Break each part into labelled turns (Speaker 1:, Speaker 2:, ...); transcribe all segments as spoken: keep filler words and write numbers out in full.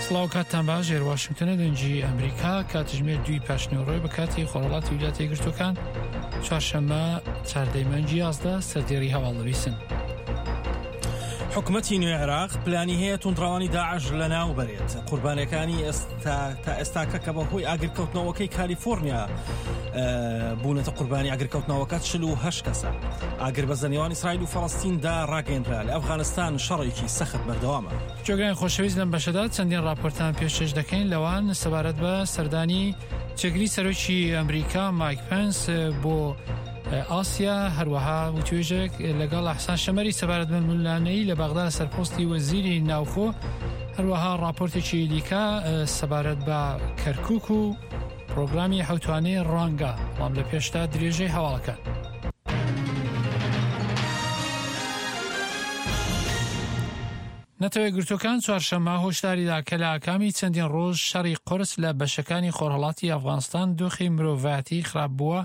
Speaker 1: سڵاو، کاتتان باش. ژێر واشنگتنە، دەنگی ئەمریکا. کاتژمێر دووی پاشنیوەڕۆی بە کاتی خۆرهەڵاتی ویلایەتە یەکگرتووەکان، چوارشەممە چاردەی مانگی یازدە. سەردێڕی هەواڵ دەبیسن.
Speaker 2: حکومەتی نوێ عێراق پلانی هەیە توندڕەوانی داعش لەناو بەرێت. قوربانیەکانی ئێستا تا ئێستاکە کە بەهۆی ئاگرکەوتنەوەکەی کالیفۆرنیا بوونەتە قوربانی ئاگرکەوتنەوەکە چل و هەشت کەسە. ئاگر بە نێوان ئیسرائیل و فەڵەستیندا ڕاگەیەنرا. لە ئەفغانستان شەڕێکی سەخت بەردەوامە.
Speaker 1: جۆگران خۆشەویست، لەم بەشەدا چەندین راپۆرتان پێشکەش دەکەین، لەوان سەبارەت بە سەردانی جێگری سەرۆکی ئەمریکا مایک پنس بۆ ئاسیا، هەروەها وتوێژێک لەگەڵ ئەحسان شەمەری سەبارەت بە ململانێی لە بەغدا سەر پۆستی وەزیری ناوخۆ، هەروەها راپۆرتێکی دیکە سەبارەت بە کەرکوک و پرۆگرامی حوتوانەی ڕوانگە. بەڵام لە پێشتا درێژەی هەواڵەکان. نەتەوە یەکگرتووەکان چوارشەممە هۆشداریدا کە لە ئاکامی چەندین ڕۆژ شەڕی قورس لە بەشەکانی خۆرهەڵاتی ئەفغانستان دۆخی مرۆڤایەتی خراپ بووە.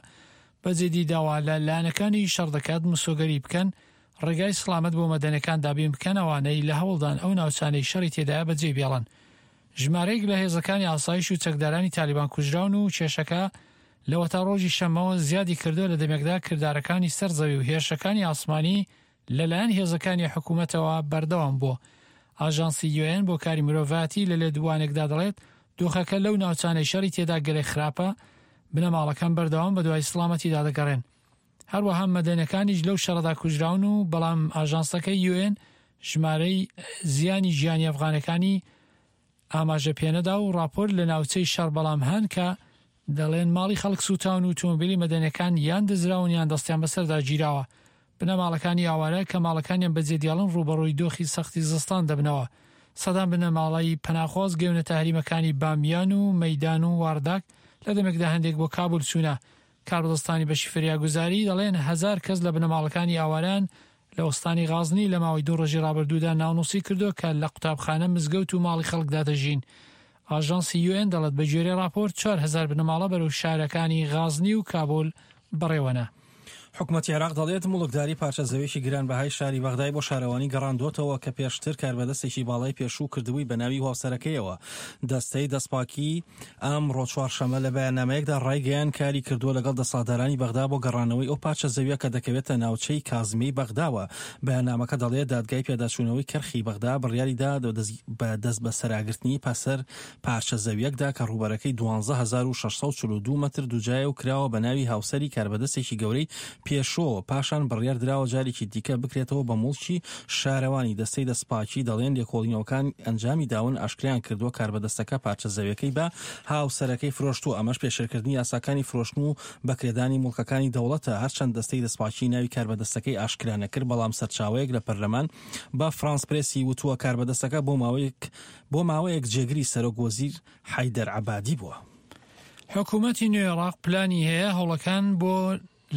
Speaker 1: بە جدی داوا لە لایەنەکانی شەڕ دەکات مسۆگەری بکەن ڕێگای سڵامەت بۆ مەدەنەکان دابین بکەن ئەوانەی لە هەوڵدان ئەو ناوچانەی شەڕی تێدایە بەجێ بێڵن. ژمارەیەک لە هێزەکانی ئاسایش و چەکدارانی تالیبان کوژراون و کێشەکە لەوەتا ڕۆژی شەممەوە زیادی کردووە، لە دەمێکدا کردارەکانی سەر زەوی و هێرشەکانی ئاسمانی لەلایەن هێزەکانی حکوومەتەوە بەردەوام بووە. ئاژانسی یوئێن بۆ کاری مرۆڤایەتی لە لێدوانێکدا دەڵێت دۆخەکە لەو ناوچانەی شەڕی تێدا گەلێک خراپە، بنەماڵەکان بەردەوام بەدوای سڵامەتیدا دەگەڕێن. هەروەها مەدەنەکانیش لەو شەڕەدا کوژراون و بەڵام ئاژانسەکەی یوئێن ژمارەی زیانی گیانی ئەفغانەکانی ئاماژە پێنەدا و راپۆرت لە ناوچەی شەڕ بەڵام هەن کە دەڵێن ماڵی خەڵک سووتاون و تۆمبیلی مەدەنەکان یان دزراون یان دەستیان بەسەردا گیراوە. بنەماڵەکانی ئاوارە کە ماڵەکانیان بەجێ دیاڵن ڕووبەڕووی دۆخی سەختی زستان دەبنەوە. سەدان بنەماڵەی پەناخواز گەونەتە هەریمەکانی بامیان و مەیدان و وارداک، لە دەمێکدا هەندێک بۆ کابول چوونە. کاربەدەستانی بەشی فریاگوزاری دەڵێن هەزار کەس لە بنەماڵەکانی ئاواران لە ئۆستانی غازنی لە ماوەی دوو ڕۆژی ڕابردوودا ناونووسی کردووە کە لە قوتابخانە، مزگەوت و ماڵی خەڵکدا دەژین. ئاژانسی یوئێن دەڵێت بە گوێرەی راپۆرت چوار هەزار بنەماڵە بەرەو شارەکانی غازنی و کابول بەڕێوەنە.
Speaker 2: حکومەتی عێراق دەڵێت موڵکداری پارچە زەویەکی گرانبەهای شاری بەغدای بۆ شارەوانی گەڕاندووەتەوە کە پێشتر کاربەدەستێکی باڵای پێشوو کردبووی بە ناوی هاوسەرەکەیەوە. دەستەی دەستپاکی ئەمڕۆ چوارشەممە لە بەیاننامەیەکدا ڕایگەیان کاری کردووە لەگەڵ دەسەڵاتدارانی بەغدا بۆ گەڕانەوەی ئەو پارچە زەویە کە دەکەوێتە ناوچەی کازمی بەغداوە. بەیاننامەکە دەڵێت دادگای پێداچوونەوەی کەرخی بەغدا بڕیاری دا بە دەست بەسەراگرتنی پەسەر پارچە زەویەکدا کە ڕووبەرەکەی دوازدە هەزار و شەش سەد و چل و دوو مەتر دووجایە و کراوە بە ناوی هاوسەری کاربەدەستێکی گەورەی پێشۆ. پاشان بڕیار دراوە جارێکی دیکە بکرێتەوە بە موڵکی شارەوانی. دەستەی دەستپاکی دەڵێن لێکۆڵینەوەکان ئەنجامی داون ئاشکریان کردووە کاربەدەستەکە پارچە زەویەکەی بە هاوسەرەکەی فرۆشتووە، ئەمەش پێشێلکردنی یاساکانی فرۆشتن و بەکرێدانی موڵکەکانی دەوڵەتە. هەرچەند دەستەی دەستپاکی ناوی کاربەدەستەکەی ئاشکرا نەکرد، بەڵام سەرچاوەیەک لە پەرلەمان بە فرانس پرێسی وتووە کاربەدەستەکە بۆ ماوەیەک بۆ ماوەیەک جێگری سەرۆک وەزیر حەیدەر عەبادی بووە.
Speaker 1: حکوومەتی نوێ عێراق پلانی هەیە هەوڵەکان بۆ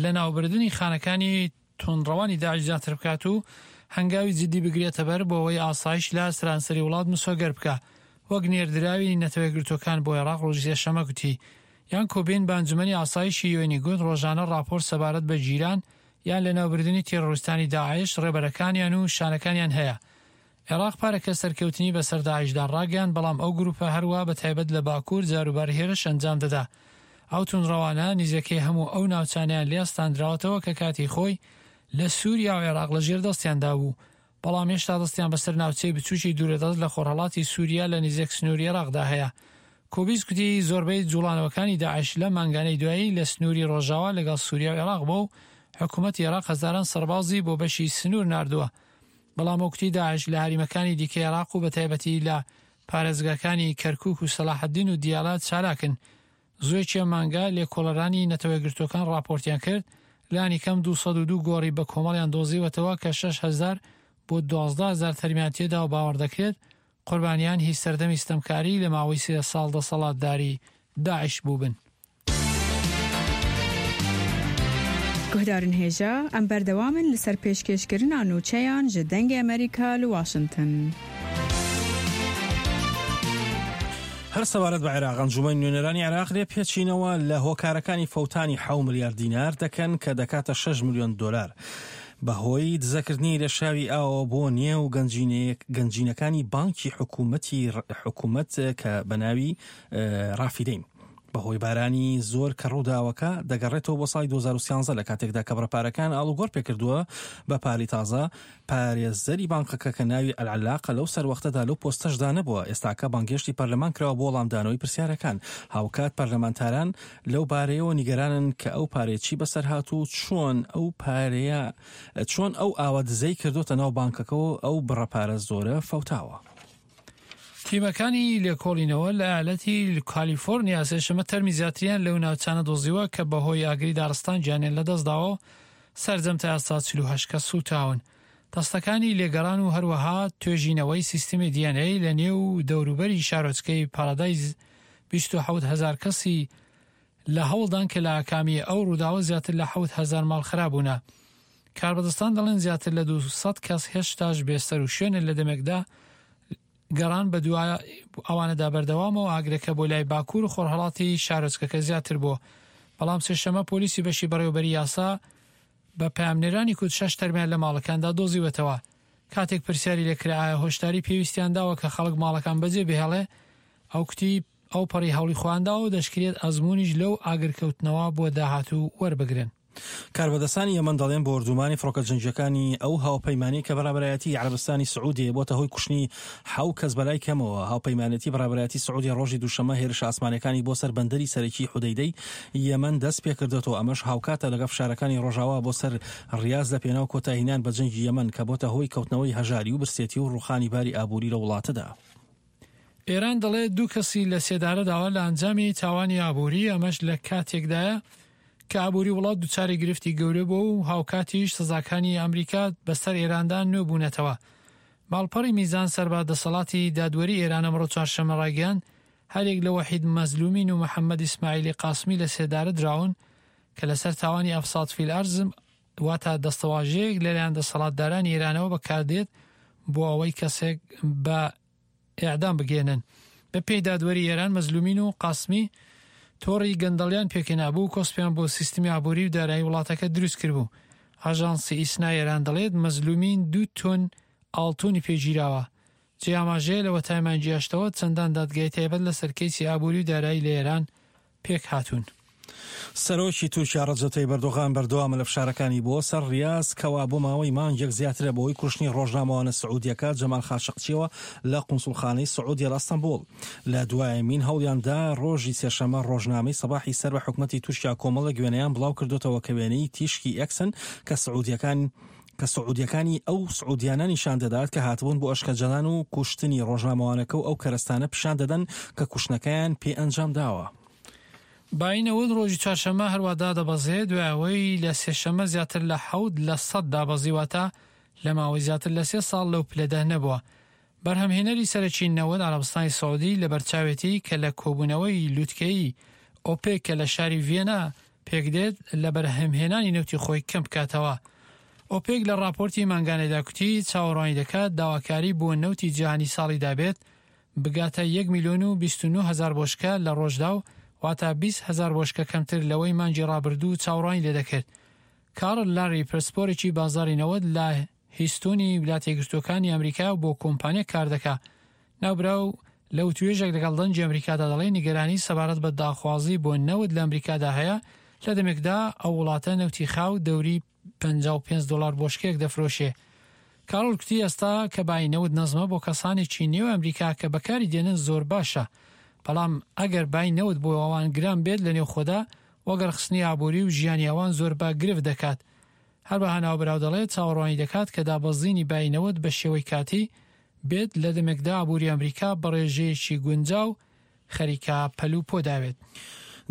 Speaker 1: لەناوبردنی خانەکانی توندڕەوانی داعش زیاتر بکات و هەنگاوی جدی بگرێتە بەر بۆ ئەوەی ئاسایش لە سەرانسەری وڵات مسۆگەر بکە. وەک نێردراوی نەتەوە یەکگرتووەکان بۆ عێراق ڕۆژی سێشەممە گوتی یان کۆبین بە ئەنجومەنی ئاسایشی یوئێنی گوت ڕۆژانە راپۆرت سەبارەت بە گیران یان لەناوبردنی تێرۆریستانی داعش، ڕێبەرەکانیان و شانەکانیان هەیە. عێراق پارەکە سەرکەوتنی بەسەر داعشدا ڕاگەیاند، بەڵام ئەو گروپە هەروە بە تایبەت لە باکوور جاروبار هێرش ئەنجام دەدا. ئەو توندڕەوانە نزیکەی هەموو ئەو ناوچانیان لێ ئەستاندراوەتەوە کە کاتی خۆی لە سووریا و عێراق لەژێر دەستیاندا بوو، بەڵام هێشتا دەستیان بەسەر ناوچەی بچووکی دوورەدەست لە خۆرهەڵاتی سووریا لە نزیک سنووری عێراقدا هەیە. کۆبیس گوتی زۆربەی جوڵانەوەکانی داعش لە مانگانەی دوایی لە سنووری ڕۆژاوا لەگەڵ سووریا و عێراق بوو و حکوومەتی عێراق هەزاران سەربازی بۆ بەشی سنوور ناردووە. بەڵام وەکتی داعش لە هەریمەکانی دیکەی عێراق و بە تایبەتی لە پارێزگاکانی کەرکوک و سەلاحەدین و دیالە چالاکن. زوویەکی ئەم مانگە لێکۆڵەرانی نەتەوە یەکگرتووەکان راپۆرتیان کرد لانی کەم دوو سەد و دوو گۆڕی بە کۆمەڵیان دۆزیوەتەوە کە شەش هەزار بۆ دوازدە هەزار تەرمیان تێدا و باوەڕ دەکرێت قوربانیان هی سەردەمی ستەمکاری لە ماوەی سێ ساڵ دەسەڵاتداری داعش بووبن.
Speaker 3: گوهدارن هێژا ئەم بەردەوامن لەسەر پێشکێشکردنا نوچەیان ji دەنگی ئەمریکا لە واشنگتن.
Speaker 2: هەر سەبارەت بە عێراق، ئەنجومەنی نوێنەرانی عێراق لێ پێچینەوە لە هۆکارەکانی فەوتانی حەوت ملیار دینار دەکەن کە دەکاتە شەش ملیۆن دۆلار. بەهۆی دزەکردنی لێشاوی ئاوە بۆ نێو گەنجینەکانی بانکی حکوومەتی حکوومەت کە بە ناوی ڕافیدەین. بەهۆی بارانی زۆر کە ڕووداوەکە دەگەڕێتەوە بۆ ساڵی دوو هەزار و سیانزە لە کاتێکدا کە بڕەپارەکان ئاڵوگۆڕ پێکردووە بە پارەی تازە. پارێزەری بانکەکە کە ناوی ئەلعەلاقە لەو سەروەختەدا لەو پۆستەشدا نەبووە، ئێستاکە بانگهێشتی پەرلەمان کراوە بۆ وەڵامدانەوەی پرسیارەکان. هاوکات پەرلەمانتاران لەو بارەیەوە نیگەرانن کە ئەو پارەیە چی بەسەر هات و چۆن ئەو پارەیە چۆن ئەو ئاوە دزەی کردوتە ناو بانکەکەەوە ئەو بڕەپارە زۆرە فەوتاوە.
Speaker 1: تیمەکانی لێکۆڵینەوە لە ئالەتی کالیفۆرنیا سێشەمە تەرمی زیاتریان لەو ناوچانە دۆزیوە کە بەهۆی ئاگری دارستان گیانیان لەدەستداوە و سەرجەم تا ئێستا چل و هەشت کەس سووتاون. دەستەکانی لێگەڕان و هەروەها توێژینەوەی سیستمی دی ئێن ئەی لە نێو دەوروبەری شارۆچکەی پارادایز بیست و حەوت هەزار کەسی لە هەوڵدان کە لە ئاکامی ئەو ڕووداوە زیاتر لە حەوت هەزار ماڵ خرابوونە. کاربەدەستان دەڵێن زیاتر لە دوو سەد کەس هێشتاش بێسەر و شوێنن لە دەمێکدا گەڕان بە دوای ئەوانەدا بەردەوامەوە ئاگرەکە بۆ لای باکوور و خۆرهەڵاتی شارۆچکەکە زیاتر بووە. بەڵام سێشەمە پۆلیسی بەشی بەڕێوەبەری یاسا بە پەیامنێرانی کوت شەش تەرمیان لە ماڵەکاندا دۆزیوەتەوە. کاتێک پرسیاری لێکرا ئایا هۆشداری پێویستیان داوە کە خەڵک ماڵەکان بەجێ بهێڵێ، ئەو کوتی ئەو پەڕی هەوڵی خۆیانداوە و دەشکرێت ئەزممونیش لەو ئاگرکەوتنەوە بۆ داهاتوو وەربگرن.
Speaker 2: کاربەدەستانی یەمەن دەڵێن بۆردومانی فڕۆکە جەنگیەکانی ئەو هاوپەیمانی کە بەڕابەرایەتی عەرەبستانی سعودیە بۆتە هۆی کوشتنی حەو کەس بەلای کەمەوە. هاوپەیمانێتی بەڕابەرایەتی سعودیە ڕۆژی دووشەممە هێرشە ئاسمانەکانی بۆ سەر بەندەری سەرەکی حودەیدەی یەمەن دەست پێکردێتەوە. ئەمەش هاوکاتە لەگەڵ فشارەکانی ڕۆژاوا بۆ سەر ڕیاز لە پێناو کۆتاییهێنان بە جەنگی یەمەن کە بۆتە هۆی کەوتنەوەی هەژاری و برسێتی و ڕوخانی باری ئابووری لە وڵاتەدا.
Speaker 1: ئێران دەڵێت دوو کەسی لە سێدارە داوە لە ئەنجامی تاوانی ئابووری، ئەمەش لە کاتێکدایە کە ئابووری وڵات دووچاری گرفتی گەورە بوو و هاوکاتیش سزاکانی ئەمریکا بەسەر ئێراندا نوێ بوونەتەوە. ماڵپەڕی میزان سەر بە دەسەڵاتی دادوەری ئێران ئەمڕۆ چوارشەممە ڕایگەیاند هەرێک لە وەحید مەزلومین و محەممەد ئیسماعیلی قاسمی لە سێدارە دراون کە لەسەر تاوانی ئەفساد فیل ئەرز واتە دەستەواژەیەک لەلایەن دەسەڵاتدارانی ئێرانەوە بەکاردێت بۆ ئەوەی کەسێک بە ئێعدام بگەێنن. بە پێی دادوەری ئێران مەزلومین و قاسمی تۆڕی گەندەڵیان پێکهێنابوو و کۆسپیان بۆ سیستمی ئابووری و دارایی وڵاتەکە دروست کردبوو. ئاژانسی ئیسنا ئێران دەڵێت مەزلومین دوو تۆن ئاڵتونی پێگیراوە. جێ ئاماژەیە لەوە تایمانگی هەشتەوە چەندان دادگای تایبەت لەسەر کەیسی ئابووری و دارایی لە ئێران پێک هاتوون.
Speaker 2: سەرۆکی تورکیا ڕەجەب تەیب ئەردۆغان بەردەوامە لە فشارەکانی بۆ سەر ڕیاز کەوا بۆ ماوەی مانگێک زیاترە بەهۆی کوشتنی ڕۆژنامەوانە سعودیەکە جەمال خاشقچیەوە لە قونسوڵخانەی سعودیە لە ئەستەنبوڵ. لە دوایەمین هەوڵیاندا ڕۆژی سێشەممە ڕۆژنامەی سەباحی سەر بە حکومەتی تورکیا کۆمەڵێک وێنەیان بڵاو کردوتەوە کە وێنەی تیشکی ئێکسن کە سعودیەکان کە سعودیەکانی ئەو سعودیانە نیشان دەدات کە هاتبوون بۆ ئەشکەنجەدان و کوشتنی ڕۆژنامەوانەکە و ئەو کەرەستانە پیشان دەدەن کە کوشتنەکەیان پێ ئەنجام داوە.
Speaker 1: بای نەوت ڕۆژی چوارشەممە هەروەدا دەبەزێ دوای لە سێشەممە زیاتر لە حەوت لە سەد دابەزیواتە لە ماوەی زیاتر لە سێ ساڵ لەو پلەدا نەبووە. بەرهەمهێنەری سەرەکی نەوت عەرەبستانی سعودی لەبەرچاوێتی کە لە کۆبوونەوەی لوتکەیی ئۆپێک کە لە شاری ڤیەنا پێکدێت لە بەرهەمهێنانی نەوتی خۆی کەم بکاتەوە. ئۆپێک لە راپۆرتی مانگانەدا کوتی چاوەڕوانی دەکات داواکاری بۆ نەوتی جیهانی ساڵیدا بێت بگاتە یەک میلیۆن و بیست و نۆ هەزار بۆشکە لە ڕۆژدا و واتە بیست هەزار بۆشکە کەمتر لەوەی مانگی ڕابردوو چاوەڕوانی لێدەکرد. کارل لاری پرسپۆرێکی بازاری نەوت لە هیستۆنی ویلایەتە یەکگرتووەکانی ئەمریکا بۆ کۆمپانیا کار دەکا. ناوبراو لەو توێژێک لەگەڵ دەنگی ئەمریکادا دەڵێ نیگەرانی سەبارەت بە داخوازی بۆ نەوت لە ئەمریکادا هەیە لە دەمێکدا ئەو وڵاتە نەوتی خاو دەوری پەنجا و پێنج دلار بۆشکێک دەفرۆشێ. کارۆل کوتی ئێستا کە بای نەوت نەزمە بۆ کەسانێکی نێو ئەمریکا کە بەکاری دێنن زۆر باشە، بەڵام ئەگەر بای نەوت بۆ ئەوان گران بێت لە نێو خۆدا وەگەرخستنی ئابووری و ژیانی ئەوان زۆر بە گرفت دەکات. هەروەها ناوبراو دەڵێت چاوەڕوانی دەکات کە دابەزینی بای نەوت بە شێوەی کاتی بێت لە دەمێکدا ئابووری ئەمریکا بە ڕێژەیەکی گونجاو خەریکە پەلوپۆ داوێت.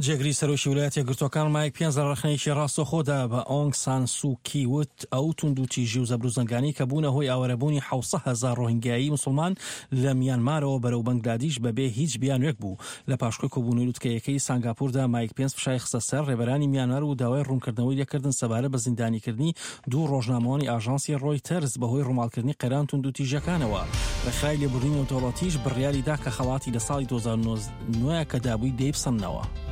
Speaker 2: جێگری سەرۆکی ویلایەتە یەکگرتووەکان مایک پێنس لە ڕەخنەیەکی ڕاستەوخۆدا بە ئۆنگ سان سوکی وت ئەو توندوتیژی و زەبروزەنگانی کە بوونە هۆی ئاوارەبوونی حەوت هەزار ڕۆهینگیایی مسلمان لە میانمارەوە بەرەو بەنگلادیش بەبێ هیچ بیانوێک بوو. لە پاشکۆی کۆبوونەوەی لوتکەیەکەی سانگاپوردا مایک پێنس فشای خستە سەر ڕێبەرانی میانمار و داوای ڕوونکردنەوەی لێکردن سەبارەت بە زیندانیکردنی دوو ڕۆژنامەوانی ئاژانسی ڕۆیتەرز بەهۆی ڕووماڵکردنی قەیران توندوتیژیەکانەوە. ڕێکخراوی لێبوردنی نێودەوڵەتیش بڕیاری دا کە خەڵاتی لە ساڵی دوو هەزار و نۆزدە کە دابووی دەیبسەننەوە.